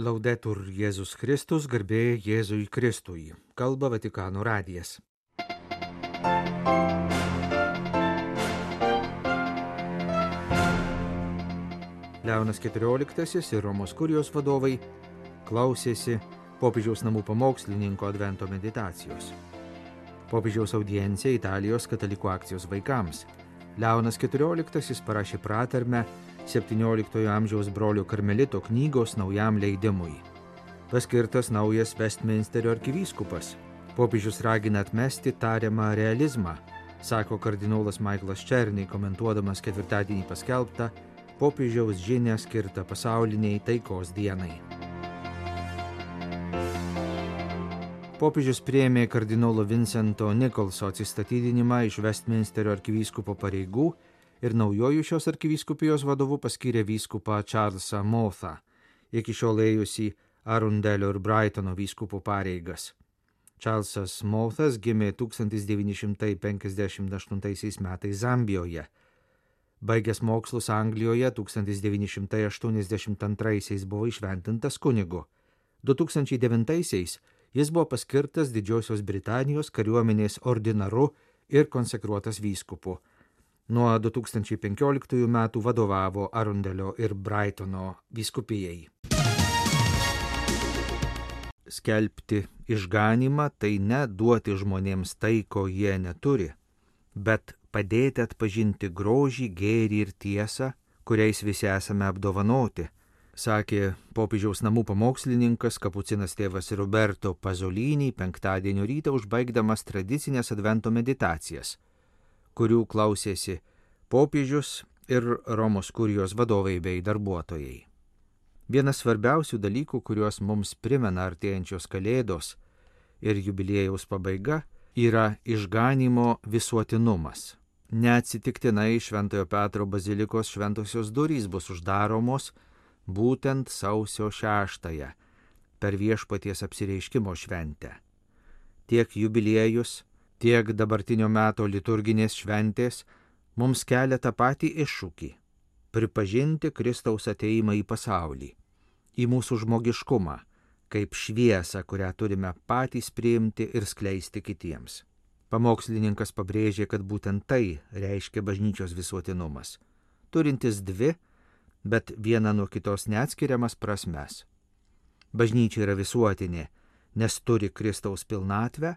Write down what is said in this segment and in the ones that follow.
Laudetur Jėzus Kristus, garbė Jėzui Kristui. Kalba Vatikano radijas. Leonas XIV ir Romos kurijos vadovai klausėsi popiežiaus namų pamokslininko advento meditacijos. Popiežiaus audiencija Italijos katalikų akcijos vaikams. Leonas XIV parašė pratarmę 17 amžiaus brolio karmelito knygos naujam leidimui. Paskirtas naujas Westminsterio arkivyskupas. Popiežius ragina atmesti tariamą realizmą, sako kardinolas Michaelas Černy, komentuodamas ketvirtadienį paskelbtą popiežiaus žinią skirtą pasauliniai taikos dienai. Popiežius priėmė kardinolo Vincento Nicholso atsistatydinimą iš Westminsterio arkivyskupo pareigų ir naujojų šios arkivyskupijos vadovu paskyrė vyskupą Charlesą Mouthą, iki šiol ėjusį Arundelio ir Brightono vyskupų pareigas. Charlesas Mouthas gimė 1958 metais Zambijoje. Baigęs mokslus Anglijoje 1982 buvo įšventintas kunigu. 2009 jis buvo paskirtas Didžiosios Britanijos kariuomenės ordinaru ir konsekruotas vyskupu. Nuo 2015 metų vadovavo Arundelio ir Brightono vyskupijai. Skelbti išganymą tai ne duoti žmonėms tai, ko jie neturi, bet padėti atpažinti grožį, gėrį ir tiesą, kuriais visi esame apdovanoti, sakė popiežiaus namų pamokslininkas kapucinas tėvas Roberto Pasolini penktadienio rytą užbaigdamas tradicinės advento meditacijas, kurių klausėsi popiežius ir Romos kurijos vadovai bei darbuotojai. Vienas svarbiausių dalykų, kuriuos mums primena artėjančios kalėdos ir jubiliejaus pabaiga, yra išganymo visuotinumas. Neatsitiktinai Šventojo Petro bazilikos šventosios durys bus uždaromos būtent sausio 6 per Viešpaties apsireiškimo šventę. Tiek jubiliejus, tiek dabartinio meto liturginės šventės mums kelia tą patį iššūkį – pripažinti Kristaus ateimą į pasaulį, į mūsų žmogiškumą, kaip šviesą, kurią turime patys priimti ir skleisti kitiems. Pamokslininkas pabrėžė, kad būtent tai reiškia bažnyčios visuotinumas, turintis dvi, bet viena nuo kitos neatskiriamas prasmes. Bažnyčia yra visuotinė, nes turi Kristaus pilnatvę,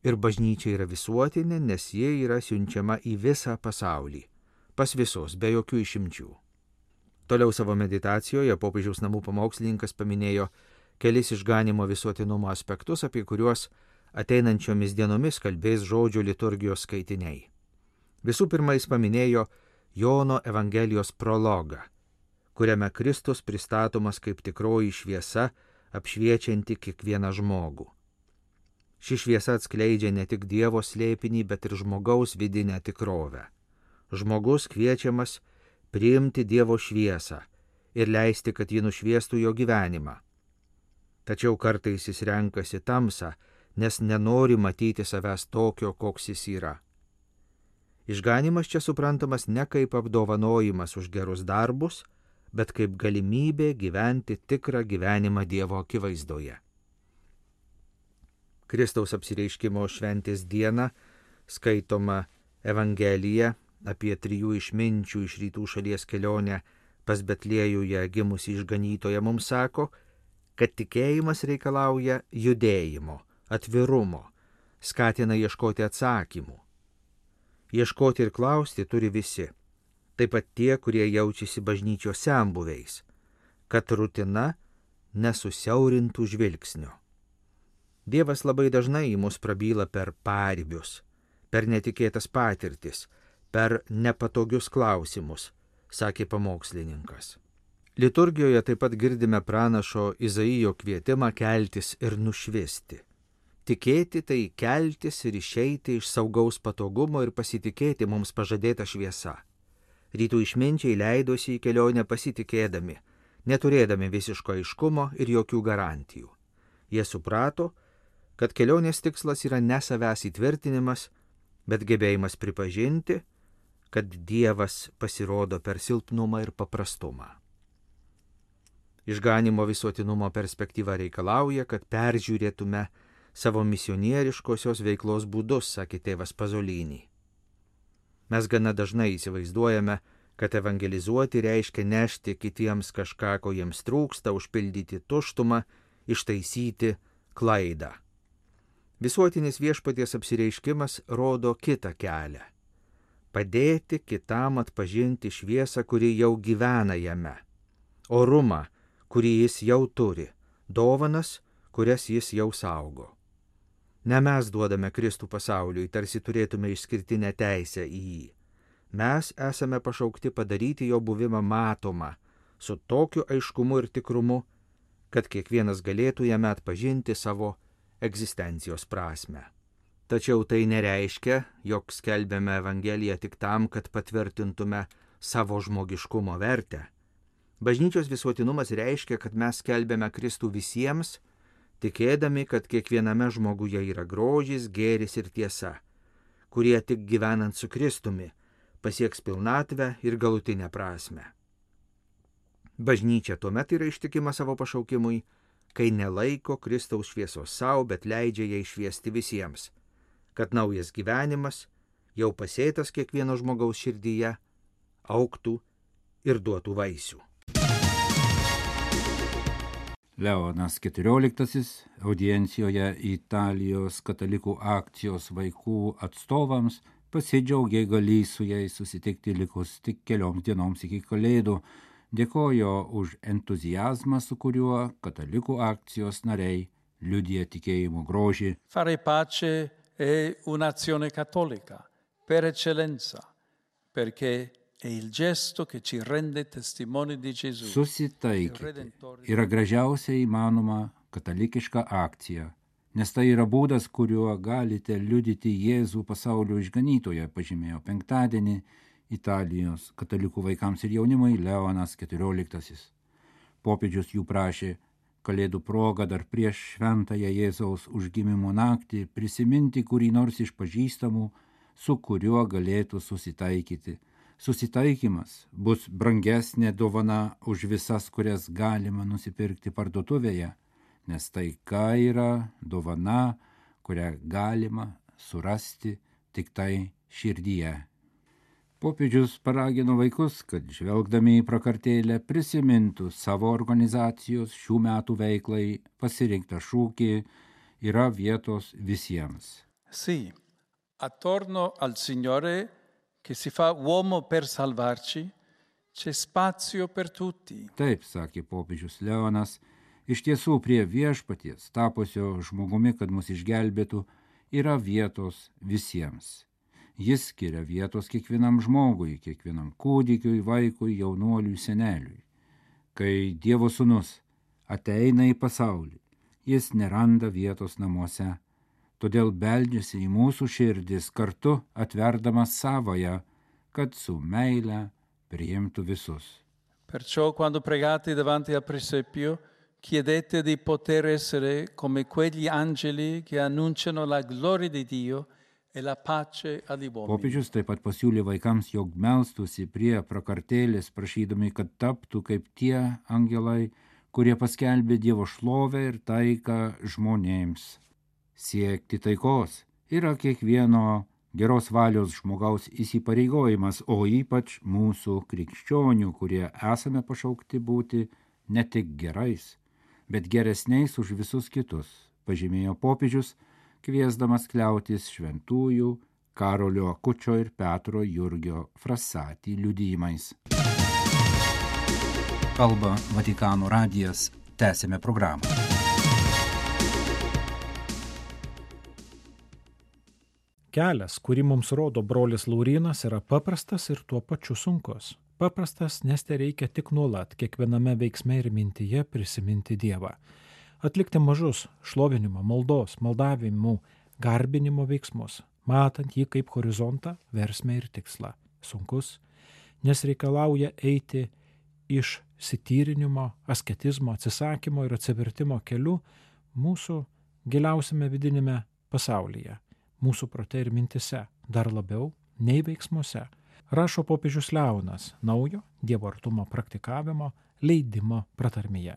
ir bažnyčia yra visuotinė, nes jie yra siunčiama į visą pasaulį, pas visus, be jokių išimčių. Toliau savo meditacijoje popiežiaus namų pamokslininkas paminėjo kelis išganimo visuotinumo aspektus, apie kuriuos ateinančiomis dienomis kalbės žodžio liturgijos skaitiniai. Visų pirma, jis paminėjo Jono Evangelijos prologą, kuriame Kristus pristatomas kaip tikroji šviesa, apšviečianti kiekvieną žmogų. Ši šviesa atskleidžia ne tik Dievo slėpinį, bet ir žmogaus vidinę tikrovę. Žmogus kviečiamas priimti Dievo šviesą ir leisti, kad ji nušviestų jo gyvenimą. Tačiau kartais jis renkasi tamsą, nes nenori matyti savęs tokio, koks jis yra. Išganymas čia suprantamas ne kaip apdovanojimas už gerus darbus, bet kaip galimybė gyventi tikrą gyvenimą Dievo akivaizdoje. Kristaus apsireiškimo šventės dieną skaitoma Evangelija apie 3 išminčių iš rytų šalies kelionę pas Betliejuje gimusį išganytoją mums sako, kad tikėjimas reikalauja judėjimo, atvirumo, skatina ieškoti atsakymų. Ieškoti ir klausti turi visi, taip pat tie, kurie jaučiasi bažnyčios senbuviais, kad rutina nesusiaurintų žvilgsnio. Dievas labai dažnai į mus prabyla per paribius, per netikėtas patirtis, per nepatogius klausimus, sakė pamokslininkas. Liturgijoje taip pat girdime pranašo Izaijo kvietimą keltis ir nušvisti. Tikėti tai keltis ir išeiti iš saugaus patogumo ir pasitikėti mums pažadėta šviesa. Rytų išminčiai leidosi į kelionę pasitikėdami, neturėdami visiško aiškumo ir jokių garantijų. Jie suprato, kad kelionės tikslas yra ne savęs įtvirtinimas, bet gebėjimas pripažinti, kad Dievas pasirodo per silpnumą ir paprastumą. Išganimo visuotinumo perspektyva reikalauja, kad peržiūrėtume savo misionieriškosios veiklos būdus, sakė tėvas Pazolinį. Mes gana dažnai įsivaizduojame, kad evangelizuoti reiškia nešti kitiems kažką, ko jiems trūksta, užpildyti tuštumą, ištaisyti klaidą. Visuotinis viešpaties apsireiškimas rodo kitą kelią. Padėti kitam atpažinti šviesą, kuri jau gyvena jame, orumą, kurį jis jau turi, dovanas, kurias jis jau saugo. Ne mes duodame Kristų pasauliui, tarsi turėtume išskirtinę teisę į jį. Mes esame pašaukti padaryti jo buvimą matomą, su tokiu aiškumu ir tikrumu, kad kiekvienas galėtų jame atpažinti savo egzistencijos prasme. Tačiau tai nereiškia, jog skelbiame Evangeliją tik tam, kad patvirtintume savo žmogiškumo vertę. Bažnyčios visuotinumas reiškia, kad mes skelbiame Kristų visiems, tikėdami, kad kiekviename žmoguje yra grožis, gėris ir tiesa, kurie tik gyvenant su Kristumi pasieks pilnatvę ir galutinę prasme. Bažnyčia tuomet yra ištikima savo pašaukimui, kai nelaiko Kristaus šviesos savo, bet leidžia ją išviesti visiems, kad naujas gyvenimas, jau pasėtas kiekvieno žmogaus širdyje, augtų ir duotų vaisių. Leonas XIV audiencijoje Italijos katalikų akcijos vaikų atstovams pasidžiaugė galįs su jais susitikti likus tik kelioms dienoms iki Kalėdų, dėkojo už entuziazmą, su kuriuo katalikų akcijos nariai liudija tikėjimo grožį. Fare pace è un'azione cattolica per eccellenza, perché è il gesto che ci rende testimoni di Gesù. Susitaikyti yra gražiausia įmanoma katalikiška akcija, nes tai yra būdas, kuriuo galite liudyti Jėzų pasaulio išganytoją, pažymėjo penktadienį Italijos katalikų vaikams ir jaunimui Leonas XIV. Popiežius jų prašė Kalėdų proga dar prieš šventąją Jėzaus užgimimo naktį prisiminti kurį nors iš pažįstamų, su kuriuo galėtų susitaikyti. Susitaikymas bus brangesnė dovana už visas, kurias galima nusipirkti parduotuvėje, nes taika yra dovana, kurią galima surasti tik tai širdyje. Popiežius paragino vaikus, kad žvelgdami į prakartėlę prisimintų savo organizacijos šių metų veiklai pasirinktą šūkį yra vietos visiems. Sì, attorno al Signore che si fa uomo per salvarci, c'è spazio per tutti. Taip, sakė popiežius Leonas, iš tiesų prie viešpaties, tapusio žmogumi, kad mus išgelbėtų, yra vietos visiems. Jis skiria vietos kiekvienam žmogui, kiekvienam kūdikiui, vaikui, jaunuoliui, seneliui. Kai Dievo sūnus ateina į pasaulį, jis neranda vietos namuose, todėl beldžiasi į mūsų širdis kartu atverdamas savoją, kad su meile priimtų visus. Perciò quando pregate davanti al presepio, chiedete di poter essere come quegli angeli che annunciano la gloria di Dio e la pace agli uomini. Popiežius taip pat pasiūlė vaikams, jog melstųsi prie prakartėlės, prašydami, kad taptų kaip tie angelai, kurie paskelbė Dievo šlovę ir taiką žmonėms. Siekti taikos yra kiekvieno geros valios žmogaus įsipareigojimas, o ypač mūsų krikščionių, kurie esame pašaukti būti ne tik gerais, bet geresniais už visus kitus, pažymėjo popiežius, kviesdamas kliautis šventųjų Karolio Akučio ir Petro Jurgio Frassati liudijimais. Kalba Vatikano radijas, tęsėme programą. Kelias, kurį mums rodo brolis Laurynas, yra paprastas ir tuo pačiu sunkus. Paprastas, nes tai reikia tik nuolat, kiekviename veiksme ir mintyje prisiminti Dievą. Atlikti mažus šlovinimo, maldos, maldavimų, garbinimo veiksmus, matant jį kaip horizontą, versmę ir tikslą. Sunkus, nes reikalauja eiti iš sityrinimo, asketizmo, atsisakymo ir atsivertimo keliu mūsų giliausiame vidinėme pasaulyje, mūsų prote ir mintise, dar labiau nei veiksmuose. Rašo popiežius Leonas naujo Dievo artumo praktikavimo leidimo pratarmėje.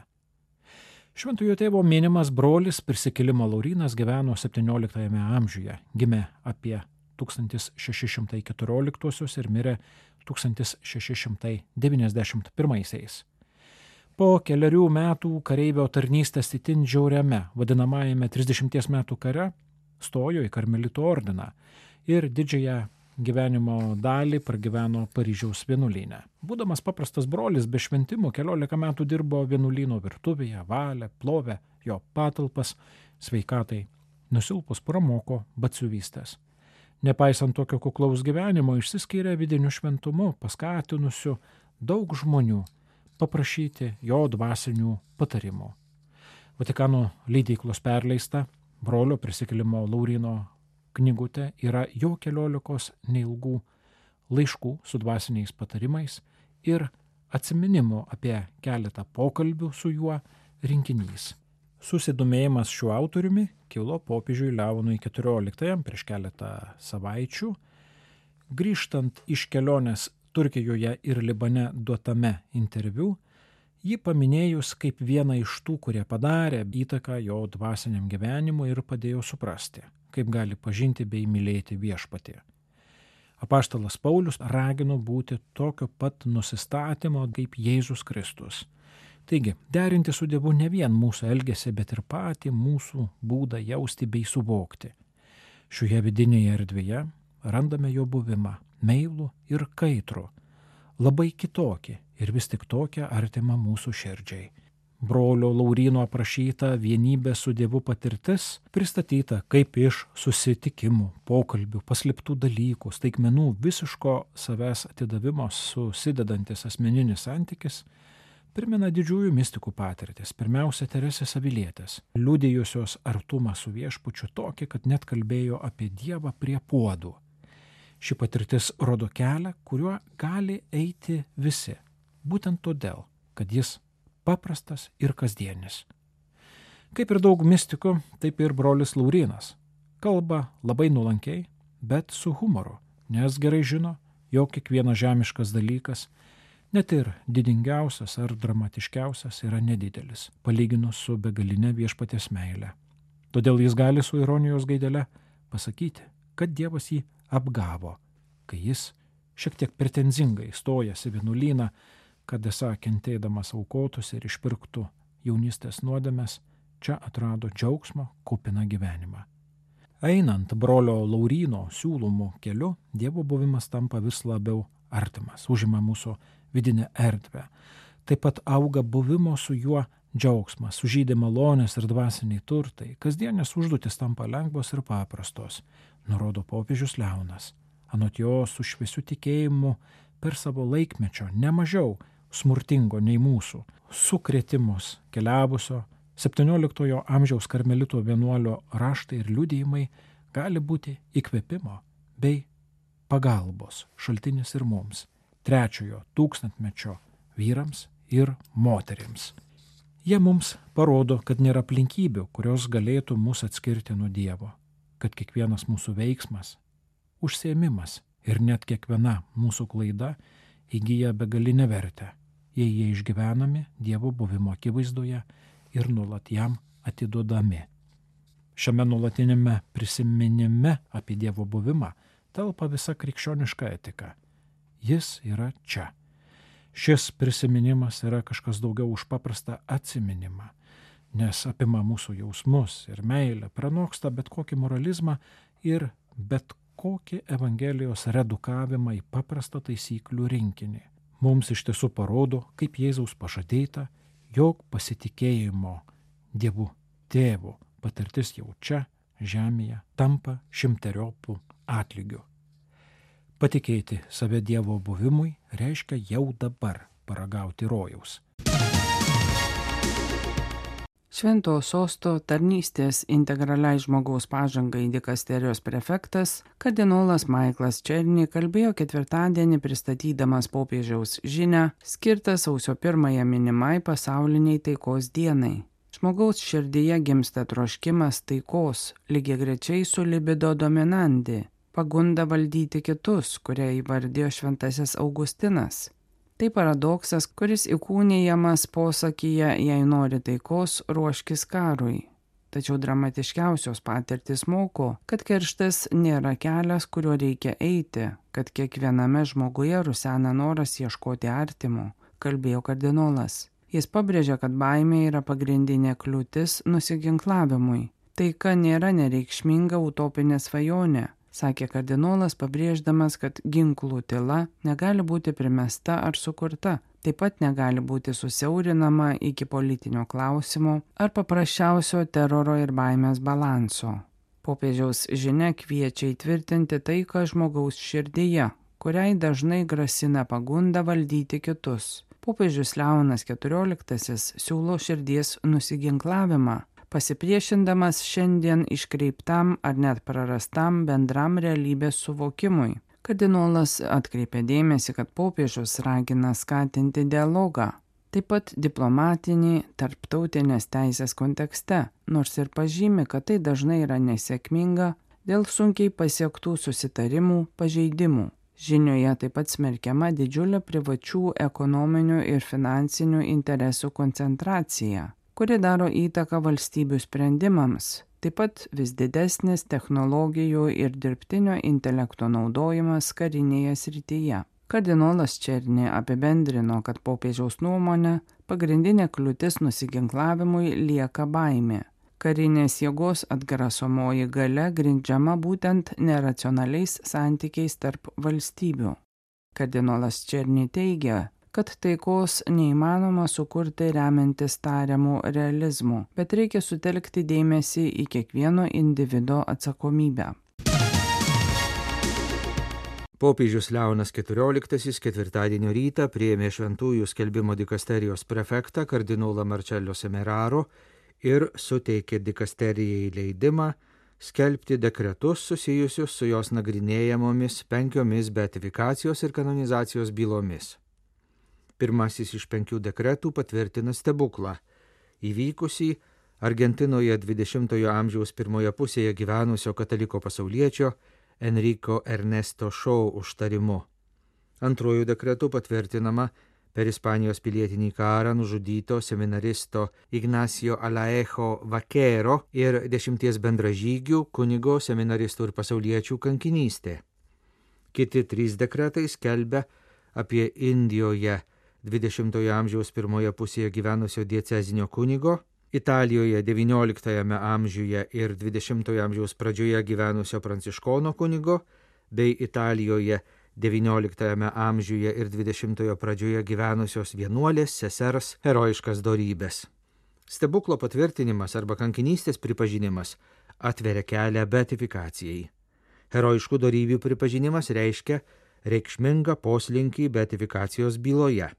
Šventojo tėvo minimas brolis prisikėlimo Laurynas gyveno 17 amžiuje, gimė apie 1614 ir mirė 1691. Po kelerių metų kareivio tarnystės itin žiauriame vadinamajame 30 metų kare stojo į karmelitų ordiną ir didžiąją gyvenimo dalį pragyveno Paryžiaus vienuolyne. Būdamas paprastas brolis be šventimų 14 metų dirbo vienuolyno virtuvėje, valė, plovė jo patalpas, sveikatai nusilpus pramoko batsiuvystės. Nepaisant tokio kuklaus gyvenimo, išsiskyrė vidiniu šventumu, paskatinusiu daug žmonių paprašyti jo dvasinių patarimų. Vatikano leidyklos perleista brolio prisikėlimo Lauryno knygutė yra jo 14 neilgų laiškų su dvasiniais patarimais ir atsiminimų apie keletą pokalbių su juo rinkinys. Susidomėjimas šiuo autoriumi kilo popiežiui Leonui XIV prieš keletą savaičių. Grįžtant iš kelionės Turkijoje ir Libane duotame interviu, jį paminėjus kaip vieną iš tų, kurie padarė įtaką jo dvasiniam gyvenimui ir padėjo suprasti, kaip gali pažinti bei mylėti viešpatį. Apaštalas Paulius ragino būti tokio pat nusistatymo kaip Jėzus Kristus. Taigi, derinti su Dievu ne vien mūsų elgesį, bet ir patį mūsų būdą jausti bei suvokti. Šioje vidinėje erdvėje randame jo buvimą, meilų ir kaitrų, labai kitokį ir vis tik tokią artimą mūsų širdžiai. Brolio Lauryno aprašyta vienybė su Dievu patirtis pristatyta kaip iš susitikimų, pokalbių, paslėptų dalykų, staigmenų visiško savęs atidavimo susidedantis asmeninis santykis, primena didžiųjų mistikų patirtis, pirmiausia Teresės Avilietės, liudijusios artumą su viešpačiu tokį, kad net kalbėjo apie Dievą prie puodų. Ši patirtis rodo kelią, kuriuo gali eiti visi, būtent todėl, kad jis paprastas ir kasdienis. Kaip ir daug mistikų, taip ir brolis Laurynas kalba labai nuolankiai, bet su humoru, nes gerai žino, jog kiekvienas žemiškas dalykas, net ir didingiausias ar dramatiškiausias, yra nedidelis, palyginus su begaline viešpaties meile. Todėl jis gali su ironijos gaidele pasakyti, kad Dievas jį apgavo, kai jis šiek tiek pretenzingai stojasi vienuolyną, kad esą kentėdamas aukotus ir išpirktų jaunystės nuodėmes, čia atrado džiaugsmo kupiną gyvenimą. Einant brolio Lauryno siūlomų keliu, Dievo buvimas tampa vis labiau artimas, užima mūsų vidinę erdvę. Taip pat auga buvimo su juo džiaugsmas, sužydė malonės ir dvasiniai turtai, kasdienės užduotis tampa lengvos ir paprastos, nurodo popiežius Leonas. Anot jo su šviesiu tikėjimu per savo laikmečio nemažiau smurtingo nei mūsų sukrėtimus keliavusio 17 amžiaus karmelito vienuolio raštai ir liudijimai gali būti įkvėpimo bei pagalbos šaltinis ir mums, 3 tūkstantmečio vyrams ir moterims. Jie mums parodo, kad nėra aplinkybių, kurios galėtų mus atskirti nuo Dievo, kad kiekvienas mūsų veiksmas, užsiėmimas ir net kiekviena mūsų klaida įgyja begalinę vertę, jei jie išgyvenami Dievo buvimo akivaizdoje ir nuolat jam atiduodami. Šiame nuolatinėme prisiminime apie Dievo buvimą telpa visa krikščioniška etika. Jis yra čia. Šis prisiminimas yra kažkas daugiau už paprastą atsiminimą, nes apima mūsų jausmus ir meilę, pranoksta bet kokį moralizmą ir bet kokį Evangelijos redukavimą į paprastą taisyklių rinkinį. Mums iš tiesų parodo, kaip Jėzaus pažadėta, jog pasitikėjimo Dievu Tėvu patirtis jau čia, žemėje, tampa 100-eriopų atlygiu. Patikėti save Dievo buvimui reiškia jau dabar paragauti rojaus. Šventojo sosto tarnystės integraliai žmogaus pažangai dikasterijos prefektas kardinolas Maiklas Černy kalbėjo ketvirtadienį pristatydamas popiežiaus žinią skirtą sausio 1 minimai pasauliniai taikos dienai. Žmogaus širdyje gimsta troškimas taikos, lygiagrečiai su libido dominandi, pagunda valdyti kitus, kurią įvardijo šventasis Augustinas. Tai paradoksas, kuris įkūnijamas posakyje, jei nori taikos, ruoškis karui. Tačiau dramatiškiausios patirtis moko, kad kerštas nėra kelias, kuriuo reikia eiti, kad kiekviename žmoguje rusena noras ieškoti artimo, kalbėjo kardinolas. Jis pabrėžė, kad baimė yra pagrindinė kliūtis nusiginklavimui. Taika nėra nereikšminga utopinė svajonė, sakė kardinolas, pabrėždamas, kad ginklų tyla negali būti primesta ar sukurta. Taip pat negali būti susiaurinama iki politinio klausimo ar paprasčiausio teroro ir baimės balanso. Popiežiaus žinia kviečia įtvirtinti taiką žmogaus širdyje, kuriai dažnai grasina pagunda valdyti kitus. Popiežius Leonas XIV siūlo širdies nusiginklavimą, pasipriešindamas šiandien iškreiptam ar net prarastam bendram realybės suvokimui. Kardinolas atkreipė dėmesį, kad popiežius ragina skatinti dialogą, taip pat diplomatinį tarptautinės teisės kontekste, nors ir pažymi, kad tai dažnai yra nesėkminga dėl sunkiai pasiektų susitarimų pažeidimų. Žinioje taip pat smerkiama didžiulė privačių ekonominių ir finansinių interesų koncentracija, kuri daro įtaką valstybių sprendimams. Taip pat vis didesnis technologijų ir dirbtinio intelekto naudojimas karinėje srityje. Kardinolas Černi apibendrino, kad popiežiaus nuomonė pagrindinė kliūtis nusiginklavimui lieka baimė. Karinės jėgos atgrasomoji galia grindžiama būtent neracionaliais santykiais tarp valstybių. Kardinolas Černi teigia, kad taikos neįmanoma sukurti remiantis tariamų realizmų, bet reikia sutelkti dėmesį į kiekvieno individo atsakomybę. Popiežius Leonas XIV ketvirtadienio rytą priėmė šventųjų skelbimo dikasterijos prefektą kardinolą Marcello Semeraro ir suteikė dikasterijai leidimą skelbti dekretus susijusius su jos nagrinėjamomis 5 beatifikacijos ir kanonizacijos bylomis. Pirmasis iš 5 dekretų patvirtina stebuklą, įvykusį Argentinoje 20-ojo amžiaus pirmoje pusėje gyvenusio kataliko pasauliečio Enrico Ernesto Shaw užtarimu. Antruoju dekretu patvirtinama per Ispanijos pilietinį karą nužudyto seminaristo Ignacio Alaejo Vaquero ir 10 bendražygių kunigo seminaristų ir pasauliečių kankinystė. Kiti 3 dekretai skelbia apie Indijoje 20-ojo amžiaus pirmoje pusėje gyvenusio diecezinio kunigo, Italijoje 19 amžiuje ir 20-ojo amžiaus pradžioje gyvenusio pranciškono kunigo, bei Italijoje 19 amžiuje ir 20-ojo pradžioje gyvenusios vienuolės sesers herojiškas dorybės. Stebuklo patvirtinimas arba kankinystės pripažinimas atveria kelią beatifikacijai. Herojiškų dorybių pripažinimas reiškia reikšmingą poslinkį beatifikacijos byloje.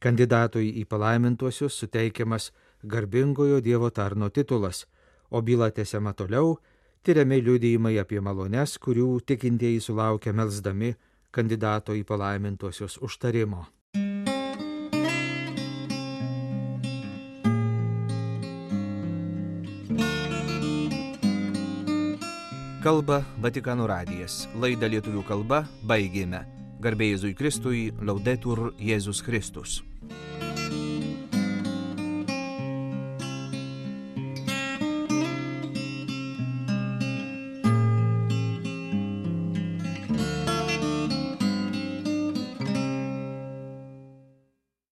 Kandidatui į palaimintuosius suteikiamas garbingojo Dievo tarno titulas, o byla tęsiama toliau, tyriami liudijimai apie malones, kurių tikintieji sulaukia melsdami kandidato į palaimintuosius užtarimo. Kalba Vatikano radijas. Laidą lietuvių kalba baigėme. Garbė Jėzui Kristui, Laudetur Jėzus Kristus.